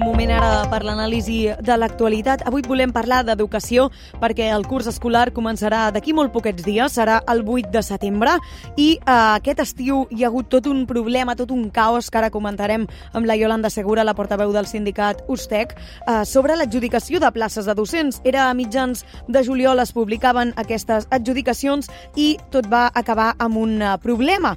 moment ara per l'anàlisi de l'actualitat. Avui volem parlar d'educació perquè el curs escolar començarà d'aquí molt poquets dies, serà el 8 de setembre, i aquest estiu hi ha hagut tot un problema, tot un caos que ara comentarem amb la Yolanda Segura, la portaveu del sindicat USTEC, sobre l'adjudicació de places de docents. Era a mitjans de juliol es publicaven aquestes adjudicacions i tot va acabar amb un problema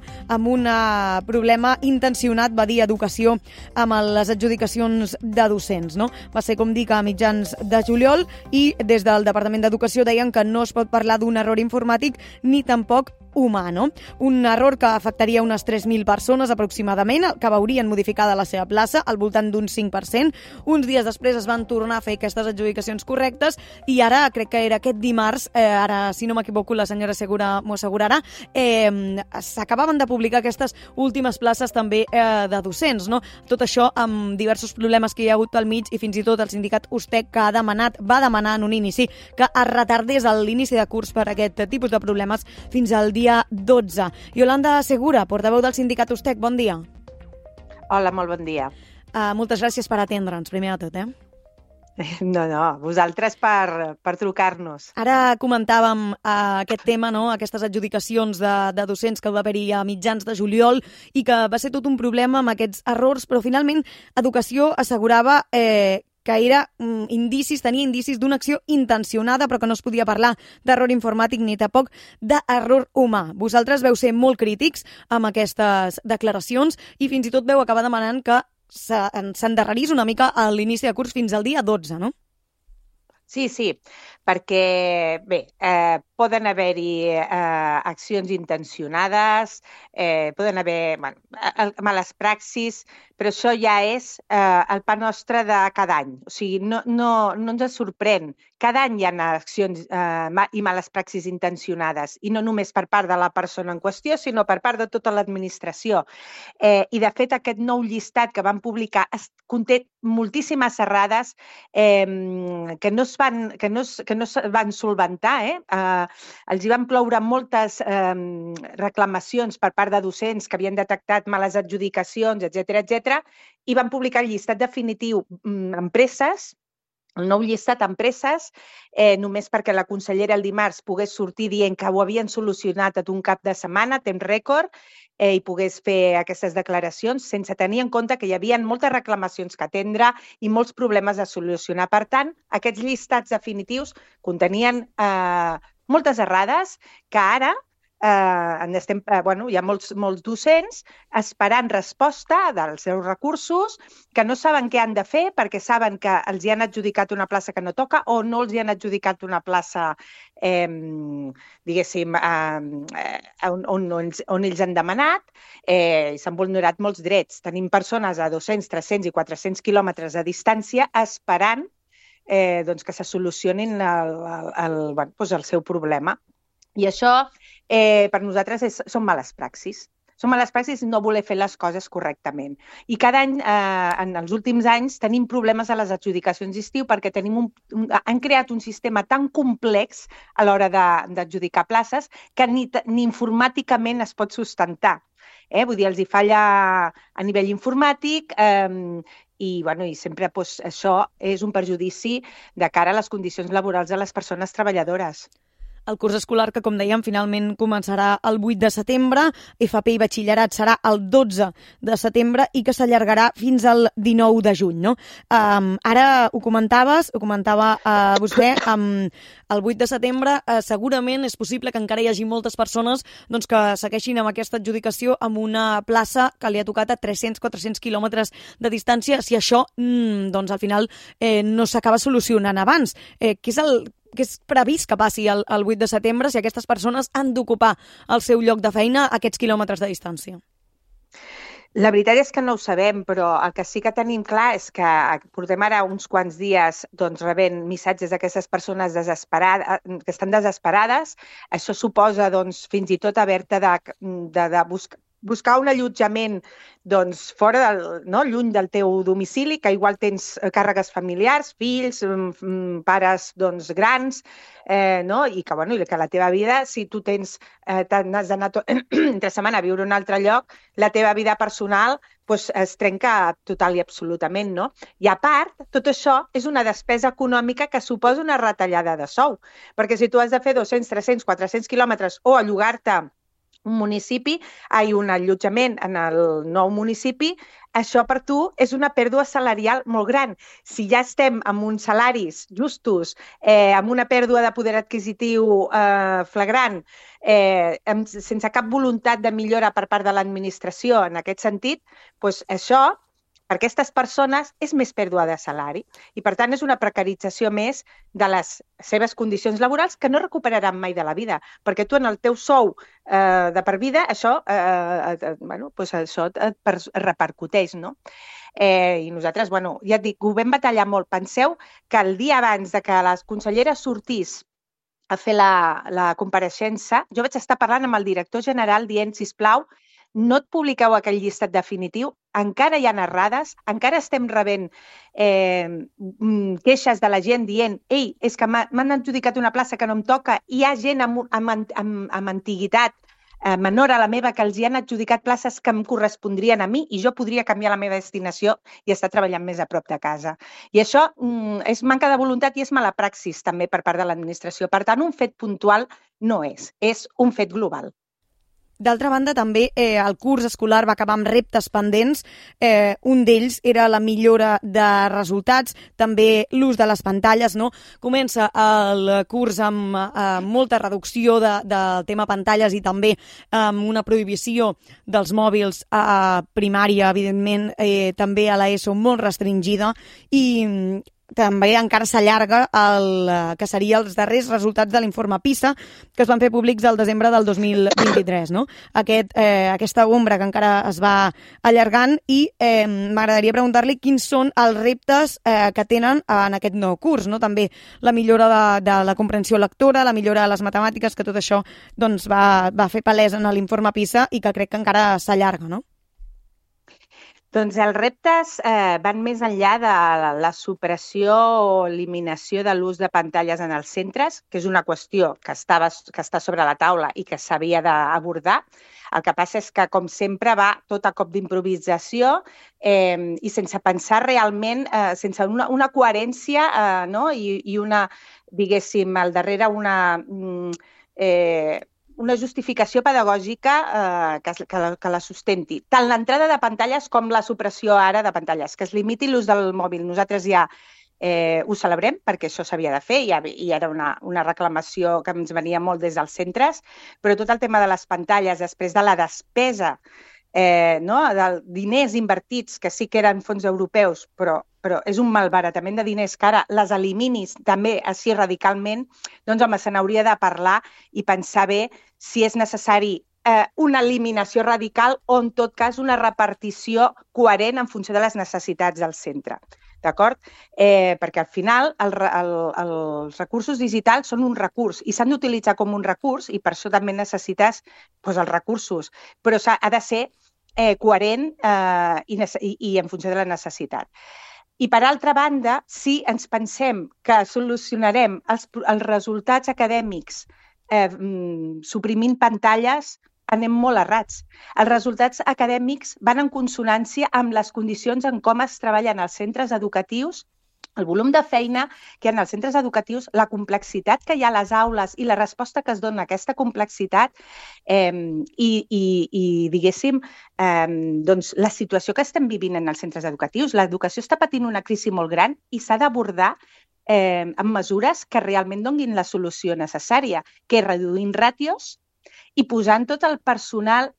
intencionat, va dir Educació, amb les adjudicacions de docents, no? Va ser, com dic, a mitjans de juliol, i des del Departament d'Educació deien que no es pot parlar d'un error informàtic ni tampoc humà, no? Un error que afectaria unes 3.000 persones aproximadament, que veurien modificada la seva plaça al voltant d'un 5%. Uns dies després es van tornar a fer aquestes adjudicacions correctes i ara, crec que era aquest dimarts, ara, si no m'equivoco, la senyora Segura m'ho assegurarà, s'acabaven de publicar aquestes últimes places també de docents, no? Tot això amb diversos problemes que hi ha hagut pel mig, i fins i tot el sindicat USTEC, que va demanar en un inici que es retardés l'inici de curs per aquest tipus de problemes fins al dia 12. Yolanda Segura, portaveu del sindicat USTEC, bon dia. Hola, molt bon dia. Moltes gràcies per atendre'ns, primer de tot, No, vosaltres per trucar-nos. Ara comentàvem aquest tema, no? Aquestes adjudicacions de docents que va haver-hi a mitjans de juliol i que va ser tot un problema amb aquests errors, però finalment Educació assegurava que tenia indicis d'una acció intencionada, però que no es podia parlar d'error informàtic ni tampoc d'error humà. Vosaltres veu ser molt crítics amb aquestes declaracions i fins i tot veu acabar demanant que s'endarrerís una mica a l'inici de curs fins al dia 12, no? Sí, perquè, bé, poden haver-hi accions intencionades, poden haver males praxis, però això ja és el pa nostre de cada any. O sigui, no ens sorprèn. Cada any hi ha accions i males praxis intencionades, i no només per part de la persona en qüestió, sinó per part de tota l'administració. I, de fet, aquest nou llistat que van publicar conté moltíssimes errades que no es van solventar. Els hi van ploure moltes reclamacions per part de docents que havien detectat males adjudicacions, etc, i van publicar el llistat definitiu amb presses, el nou llistat amb presses, només perquè la consellera el dimarts pogués sortir dient que ho havien solucionat en un cap de setmana, temps rècord, i pogués fer aquestes declaracions sense tenir en compte que hi havia moltes reclamacions que atendre i molts problemes a solucionar. Per tant, aquests llistats definitius contenien moltes errades que ara hi ha molts docents esperant resposta dels seus recursos, que no saben què han de fer perquè saben que els hi han adjudicat una plaça que no toca o no els hi han adjudicat una plaça, diguéssim, on ells han demanat, i s'han vulnerat molts drets. Tenim persones a 200, 300 i 400 quilòmetres de distància esperant que se solucionin el seu problema. I això, per nosaltres, són males praxis. Són males praxis no voler fer les coses correctament. I cada any, en els últims anys, tenim problemes a les adjudicacions d'estiu perquè han creat un sistema tan complex a l'hora d'adjudicar places que ni informàticament es pot sustentar. Vull dir, els hi falla a nivell informàtic i sempre això és un perjudici de cara a les condicions laborals de les persones treballadores. El curs escolar, que com dèiem, finalment començarà el 8 de setembre, FP i batxillerat serà el 12 de setembre i que s'allargarà fins al 19 de juny, no? Ara ho comentava vostè, el 8 de setembre segurament és possible que encara hi hagi moltes persones que segueixin amb aquesta adjudicació amb una plaça que li ha tocat a 300-400 quilòmetres de distància, si això al final no s'acaba solucionant abans. Què és previst que passi el 8 de setembre si aquestes persones han d'ocupar el seu lloc de feina a aquests quilòmetres de distància? La veritat és que no ho sabem, però el que sí que tenim clar és que portem ara uns quants dies rebent missatges d'aquestes persones que estan desesperades. Això suposa fins i tot haver-te de buscar buscar un allotjament doncs, fora lluny del teu domicili, que igual tens càrregues familiars, fills, pares doncs, grans, i que la teva vida, si tu n'has d'anar entre setmana a viure a un altre lloc, la teva vida personal es trenca total i absolutament, no? I a part, tot això és una despesa econòmica que suposa una retallada de sou, perquè si tu has de fer 200, 300, 400 quilòmetres o allogar-te un allotjament en el nou municipi, això per tu és una pèrdua salarial molt gran. Si ja estem amb uns salaris justos, amb una pèrdua de poder adquisitiu flagrant, sense cap voluntat de millora per part de l'administració en aquest sentit, doncs això per aquestes persones és més pèrdua de salari i, per tant, és una precarització més de les seves condicions laborals que no recuperaran mai de la vida, perquè tu en el teu sou de per vida això, això et repercuteix, no? I nosaltres, ja et dic, ho vam batallar molt. Penseu que el dia abans de que la consellera sortís a fer la compareixença, jo vaig estar parlant amb el director general dient, sisplau, no et publiqueu aquell llistat definitiu, encara hi ha errades, encara estem rebent queixes de la gent dient ei, és que m'han adjudicat una plaça que no em toca, i hi ha gent amb antiguitat menor a la meva que els hi han adjudicat places que em correspondrien a mi i jo podria canviar la meva destinació i estar treballant més a prop de casa. I això és manca de voluntat i és mala praxis també per part de l'administració. Per tant, un fet puntual no és un fet global. D'altra banda, també el curs escolar va acabar amb reptes pendents. Un d'ells era la millora de resultats, també l'ús de les pantalles, no? Comença el curs amb molta reducció del tema pantalles i també amb una prohibició dels mòbils a primària, evidentment, també a l'ESO molt restringida, i també encara s'allarga el que serien els darrers resultats de l'informe PISA que es van fer públics al desembre del 2023, no? Aquesta ombra que encara es va allargant, i m'agradaria preguntar-li quins són els reptes que tenen en aquest nou curs, no? També la millora de la comprensió lectora, la millora de les matemàtiques, que tot això doncs, va fer palès en l'informe PISA i que crec que encara s'allarga, no? Doncs els reptes van més enllà de la supressió o eliminació de l'ús de pantalles en els centres, que és una qüestió que està sobre la taula i que s'havia d'abordar. El que passa és que, com sempre, va tot a cop d'improvisació i sense pensar realment, sense una coherència i una, diguéssim, al darrere una justificació pedagògica que la sustenti. Tant l'entrada de pantalles com la supressió ara de pantalles, que es limiti l'ús del mòbil. Nosaltres ja ho celebrem perquè això s'havia de fer i era una reclamació que ens venia molt des dels centres, però tot el tema de les pantalles, després de la despesa, de diners invertits, que sí que eren fons europeus, però és un malbaratament de diners que ara les eliminis també així radicalment, doncs home, se n'hauria de parlar i pensar bé si és necessari una eliminació radical o, en tot cas, una repartició coherent en funció de les necessitats del centre. D'acord? Perquè al final els recursos digitals són un recurs i s'han d'utilitzar com un recurs i per això també necessites els recursos, però ha de ser coherent i en funció de la necessitat. I, per altra banda, si ens pensem que solucionarem els resultats acadèmics suprimint pantalles, anem molt errats. Els resultats acadèmics van en consonància amb les condicions en com es treballen els centres educatius, el volum de feina que hi ha als centres educatius, la complexitat que hi ha a les aules i la resposta que es dona a aquesta complexitat diguéssim, doncs la situació que estem vivint en els centres educatius. L'educació està patint una crisi molt gran i s'ha d'abordar amb mesures que realment donin la solució necessària, que és reduint ràtios i posant tot el personal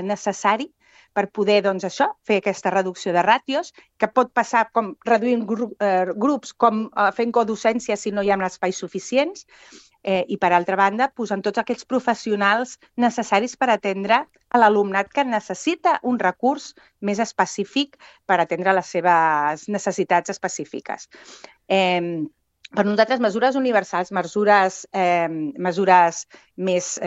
necessari per poder, doncs, fer aquesta reducció de ràtios, que pot passar com reduint grups, com fent codocència si no hi ha espais suficients, i, per altra banda, posant tots aquells professionals necessaris per atendre a l'alumnat que necessita un recurs més específic per atendre les seves necessitats específiques. Per nosaltres, mesures universals, mesures més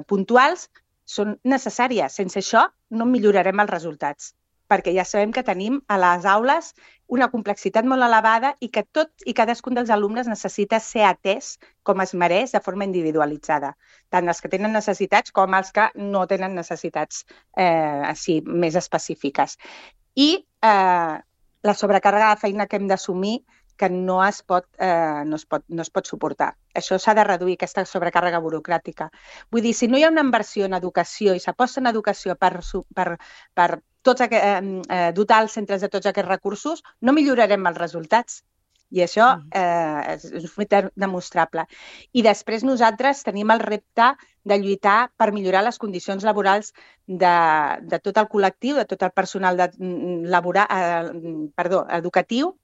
puntuals, són necessàries. Sense això no millorarem els resultats, perquè ja sabem que tenim a les aules una complexitat molt elevada i que tot i cadascun dels alumnes necessita ser atès com es mereix de forma individualitzada, tant els que tenen necessitats com els que no tenen necessitats així més específiques. I la sobrecàrrega de feina que hem d'assumir que no es pot suportar. Això s'ha de reduir, aquesta sobrecàrrega burocràtica. Vull dir, si no hi ha una inversió en educació i s'aposta en educació per dotar els centres de tots aquests recursos, no millorarem els resultats. I això és un fet demostrable. I després nosaltres tenim el repte de lluitar per millorar les condicions laborals de tot el col·lectiu, de tot el personal educatiu,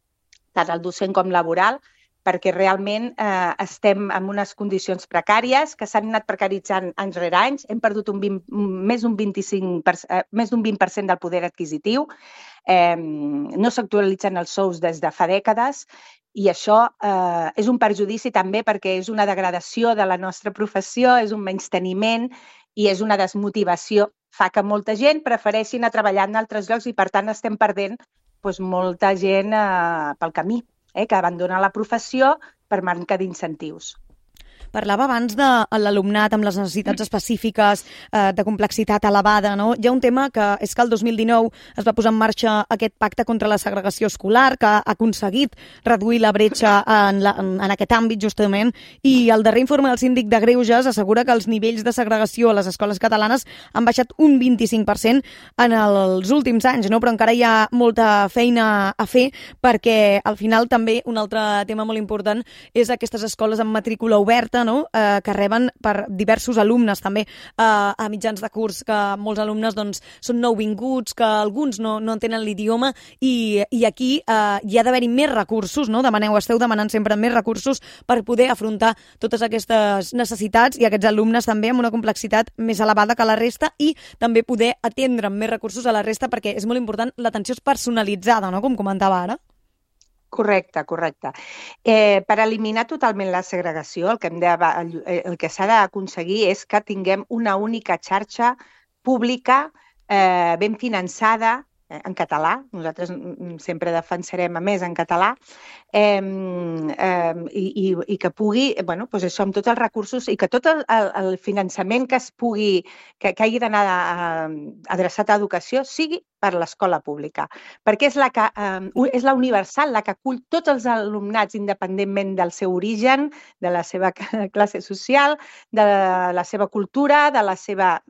tant el docent com laboral, perquè realment estem en unes condicions precàries que s'han anat precaritzant anys rere anys. Hem perdut més d'un 20% del poder adquisitiu. No s'actualitzen els sous des de fa dècades i això és un perjudici també perquè és una degradació de la nostra professió, és un menysteniment i és una desmotivació. Fa que molta gent prefereixi anar a treballar en altres llocs i, per tant, estem perdent molta gent pel camí, que abandona la professió per manca d'incentius. Parlava abans de l'alumnat amb les necessitats específiques, de complexitat elevada, no? Hi ha un tema que és que el 2019 es va posar en marxa aquest pacte contra la segregació escolar, que ha aconseguit reduir la bretxa en aquest àmbit, justament, i el darrer informe del Síndic de Greuges assegura que els nivells de segregació a les escoles catalanes han baixat un 25% en els últims anys, no? Però encara hi ha molta feina a fer perquè, al final, també un altre tema molt important és aquestes escoles amb matrícula oberta, no? Que reben per diversos alumnes també a mitjans de curs, que molts alumnes són nouvinguts, que alguns no entenen l'idioma i aquí hi ha d'haver-hi més recursos, no? Esteu demanant sempre més recursos per poder afrontar totes aquestes necessitats i aquests alumnes també amb una complexitat més elevada que la resta i també poder atendre amb més recursos a la resta perquè és molt important, l'atenció és personalitzada, no? Com comentava ara. Correcte. Per eliminar totalment la segregació, el que s'ha d'aconseguir és que tinguem una única xarxa pública ben finançada en català. Nosaltres sempre defensarem a més en català i que pugui, això amb tots els recursos i que tot el finançament que hagi d'anar adreçat a educació sigui per l'escola pública, perquè és la universal, la que acull tots els alumnats independentment del seu origen, de la seva classe social, de la seva cultura, de la seva...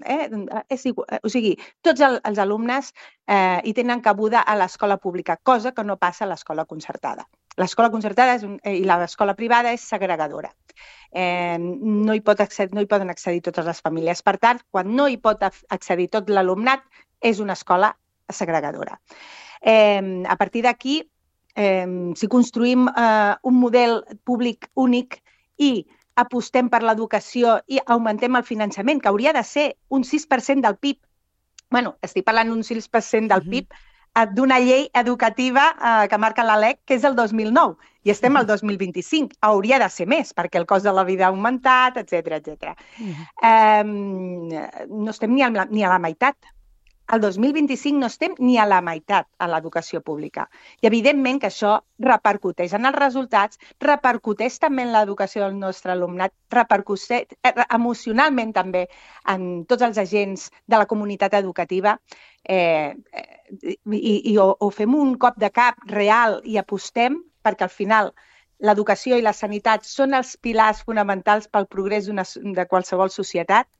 O sigui, tots els alumnes hi tenen cabuda a l'escola pública, cosa que no passa a l'escola concertada. L'escola concertada i l'escola privada és segregadora. No hi poden accedir totes les famílies. Per tant, quan no hi pot accedir tot l'alumnat, és una escola segregadora. A partir d'aquí, si construïm un model públic únic i apostem per l'educació i augmentem el finançament, que hauria de ser un 6% del PIB, estic parlant d'un 6% del PIB, d'una llei educativa que marca la LEC, que és el 2009, i estem al 2025. Hauria de ser més, perquè el cost de la vida ha augmentat, etc. No estem ni a la meitat. El 2025 no estem ni a la meitat a l'educació pública. I evidentment que això repercuteix en els resultats, repercuteix també en l'educació del nostre alumnat, repercuteix emocionalment també en tots els agents de la comunitat educativa o fem un cop de cap real i apostem perquè al final l'educació i la sanitat són els pilars fonamentals pel progrés de qualsevol societat,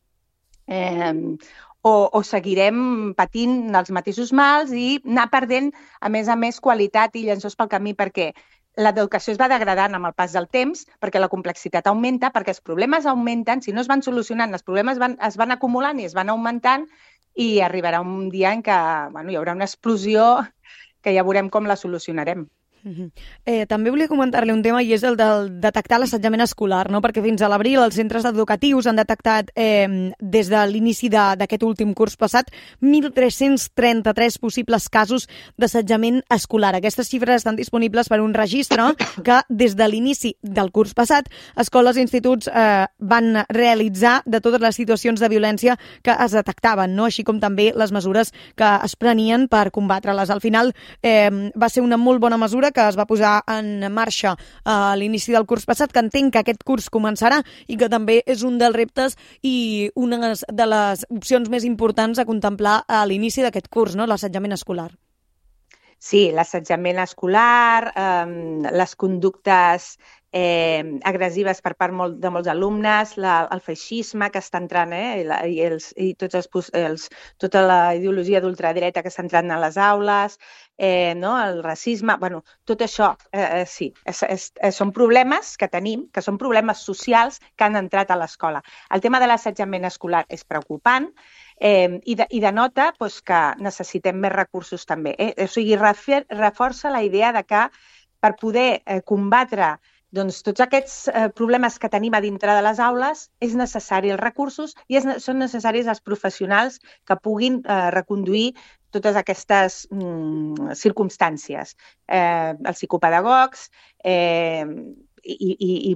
o seguirem patint els mateixos mals i anar perdent, a més, qualitat i llençols pel camí, perquè l'educació es va degradant amb el pas del temps, perquè la complexitat augmenta, perquè els problemes augmenten, si no es van solucionant, els problemes es van acumulant i es van augmentant i arribarà un dia en què hi haurà una explosió que ja veurem com la solucionarem. També volia comentar-li un tema i és el del detectar l'assetjament escolar, no? Perquè fins a l'abril els centres educatius han detectat des de l'inici d'aquest últim curs passat 1.333 possibles casos d'assetjament escolar. Aquestes xifres estan disponibles per un registre que des de l'inici del curs passat escoles i instituts van realitzar de totes les situacions de violència que es detectaven, no? Així com també les mesures que es prenien per combatre-les. Al final va ser una molt bona mesura que es va posar en marxa a l'inici del curs passat, que entenc que aquest curs començarà i que també és un dels reptes i una de les opcions més importants a contemplar a l'inici d'aquest curs, no? L'assetjament escolar. Sí, l'assetjament escolar, les conductes agressives per part de molts alumnes, el feixisme que està entrant, i tota la ideologia d'ultradreta que està entrant a les aules, no? El racisme, bueno, tot això, sí, són problemes que tenim, que són problemes socials que han entrat a l'escola. El tema de l'assetjament escolar és preocupant, i denota que necessitem més recursos també. O sigui, reforça la idea de que per poder combatre tots aquests problemes que tenim a dintre de les aules és necessari els recursos i són necessaris els professionals que puguin reconduir totes aquestes circumstàncies. Els psicopedagogs, i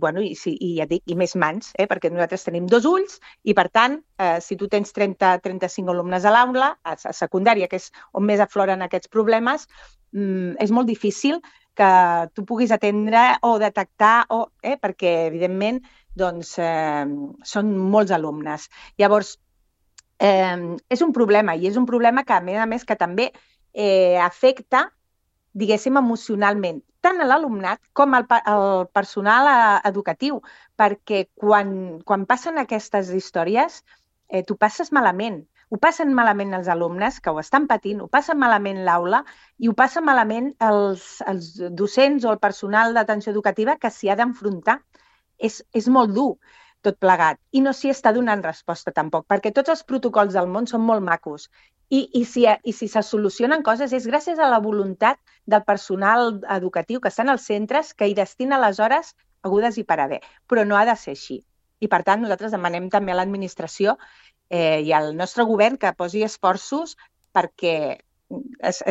ja dic, i més mans, perquè nosaltres tenim 2 ulls i, per tant, si tu tens 30-35 alumnes a l'aula, a secundària, que és on més afloren aquests problemes, és molt difícil que tu puguis atendre o detectar, perquè, evidentment, són molts alumnes. Llavors, és un problema, i és un problema que, a més, que també afecta, diguéssim, emocionalment, tant a l'alumnat com al personal educatiu, perquè quan passen aquestes històries, tu passes malament. Ho passen malament els alumnes, que ho estan patint, ho passen malament l'aula i ho passen malament els docents o el personal d'atenció educativa que s'hi ha d'enfrontar. És molt dur tot plegat i no s'hi està donant resposta tampoc, perquè tots els protocols del món són molt macos i si se solucionen coses és gràcies a la voluntat del personal educatiu que estan als centres, que hi destina les hores hagudes i per haver, però no ha de ser així. I, per tant, nosaltres demanem també a l'administració i al nostre govern que posi esforços perquè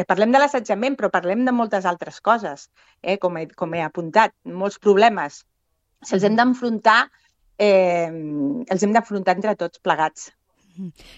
parlem de l'assetjament, però parlem de moltes altres coses, com he apuntat, molts problemes. Si els hem d'enfrontar, els hem d'afrontar entre tots plegats.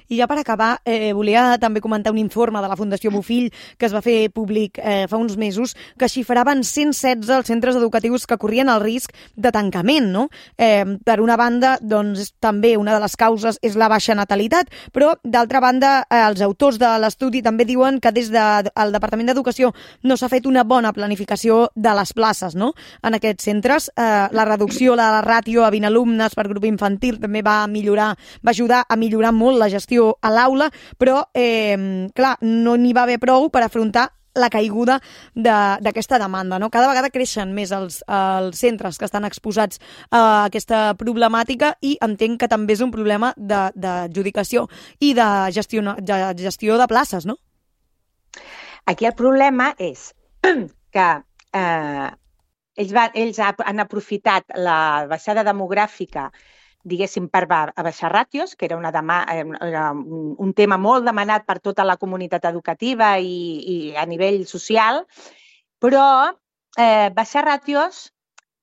I ja per acabar, volia també comentar un informe de la Fundació Bofill que es va fer públic fa uns mesos que xifraven 116 els centres educatius que corrien el risc de tancament, no? Per una banda, doncs, també una de les causes és la baixa natalitat, però d'altra banda, els autors de l'estudi també diuen que des del Departament d'Educació no s'ha fet una bona planificació de les places, no? En aquests centres, la reducció de la ràtio a 20 alumnes per grup infantil també va ajudar a millorar molt la gestió a l'aula, però, clar, no n'hi va haver prou per afrontar la caiguda d'aquesta demanda, no? Cada vegada creixen més els centres que estan exposats a aquesta problemàtica i entenc que també és un problema d'adjudicació i de gestió de places, no? Aquí el problema és que ells han aprofitat la baixada demogràfica, diguéssim, per baixar ràtios, que era un tema molt demanat per tota la comunitat educativa i a nivell social, però baixar ràtios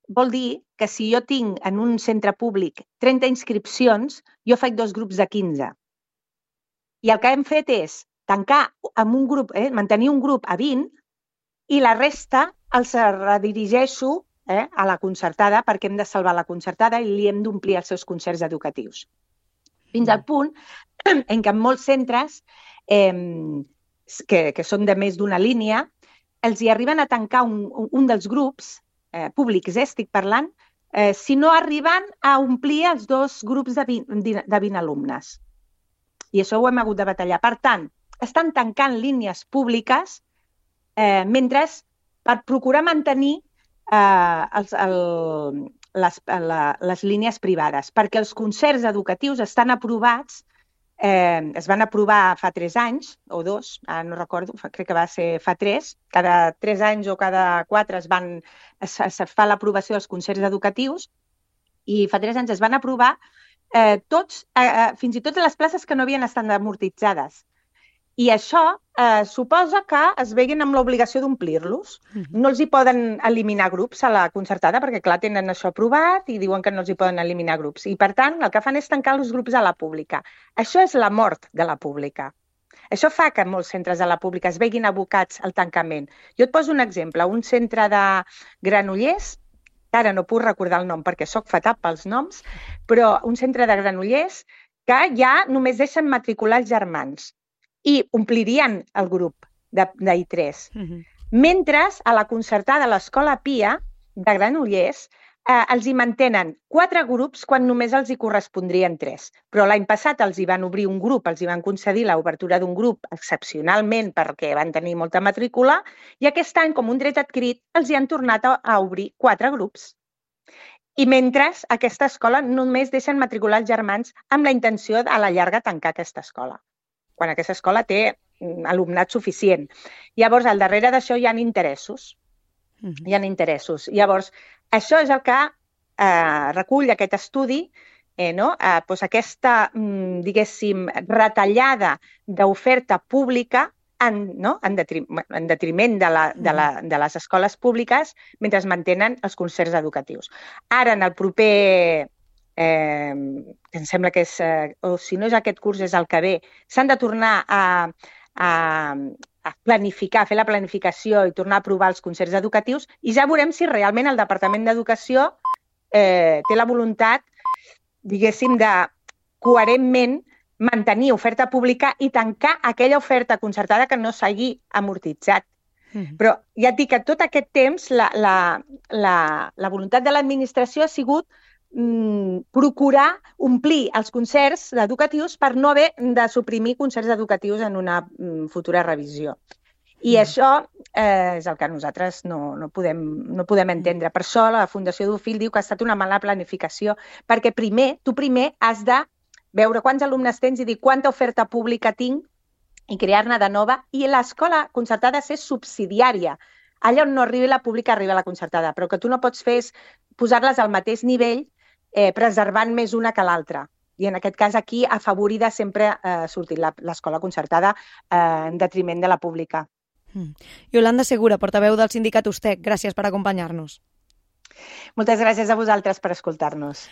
vol dir que si jo tinc en un centre públic 30 inscripcions, jo faig 2 grups de 15. I el que hem fet és tancar amb un grup, mantenir un grup a 20 i la resta els redirigeixo a la concertada, perquè hem de salvar la concertada i li hem d'omplir els seus concerts educatius. Fins al punt en què en molts centres, que són de més d'una línia, els hi arriben a tancar un dels grups públics, estic parlant, si no arriben a omplir els 2 grups de 20 alumnes. I això ho hem hagut de batallar. Per tant, estan tancant línies públiques mentre per procurar mantenir les línies privades, perquè els concerts educatius estan aprovats es van aprovar fa 3 anys, o 2, ara no recordo, crec que va ser fa 3, cada 3 anys o cada 4 es fa l'aprovació dels concerts educatius, i fa 3 anys es van aprovar tots, fins i tot les places que no havien estat amortitzades. I això suposa que es veguin amb l'obligació d'omplir-los. No els hi poden eliminar grups a la concertada perquè, clar, tenen això aprovat i diuen que no els hi poden eliminar grups. I, per tant, el que fan és tancar els grups a la pública. Això és la mort de la pública. Això fa que molts centres de la pública es veguin abocats al tancament. Jo et poso un exemple. Un centre de Granollers, que ara no puc recordar el nom perquè sóc fatal pels noms, però un centre de Granollers que ja només deixen matricular els germans i omplirien el grup d'I3. Mentre a la concertada de l'Escola Pia de Granollers els hi mantenen 4 grups quan només els hi correspondrien 3. Però l'any passat els hi van obrir un grup, els hi van concedir l'obertura d'un grup excepcionalment perquè van tenir molta matrícula, i aquest any, com un dret adquirit, els hi han tornat a obrir 4 grups. I mentre aquesta escola només deixen matricular els germans amb la intenció a la llarga tancar aquesta escola, quan aquesta escola té alumnat suficient. Llavors, al darrere d'això hi ha interessos. Hi ha interessos. Llavors, això és el que recull aquest estudi, aquesta, diguéssim, retallada d'oferta pública en detriment de les escoles públiques mentre es mantenen els concerts educatius. Ara, en el proper... em sembla que és, o si no és aquest curs, és el que ve, s'han de tornar a planificar, a fer la planificació i tornar a aprovar els concerts educatius, i ja veurem si realment el Departament d'Educació té la voluntat, diguéssim, de coherentment mantenir oferta pública i tancar aquella oferta concertada que no s'hagi amortitzat. Però ja et dic que tot aquest temps la voluntat de l'administració ha sigut procurar omplir els concerts educatius per no haver de suprimir concerts educatius en una futura revisió. I això és el que nosaltres no podem entendre. Per això la Fundació Bofill diu que ha estat una mala planificació, perquè tu primer has de veure quants alumnes tens i dir quanta oferta pública tinc i crear-ne de nova, i l'escola concertada és subsidiària. Allà on no arribi la pública arriba la concertada, però que tu no pots fer és posar-les al mateix nivell preservant més una que l'altra. I en aquest cas aquí afavorida sempre ha sortit l'escola concertada en detriment de la pública. Iolanda Segura, portaveu del sindicat USTEC, gràcies per acompanyar-nos. Moltes gràcies a vosaltres per escoltar-nos.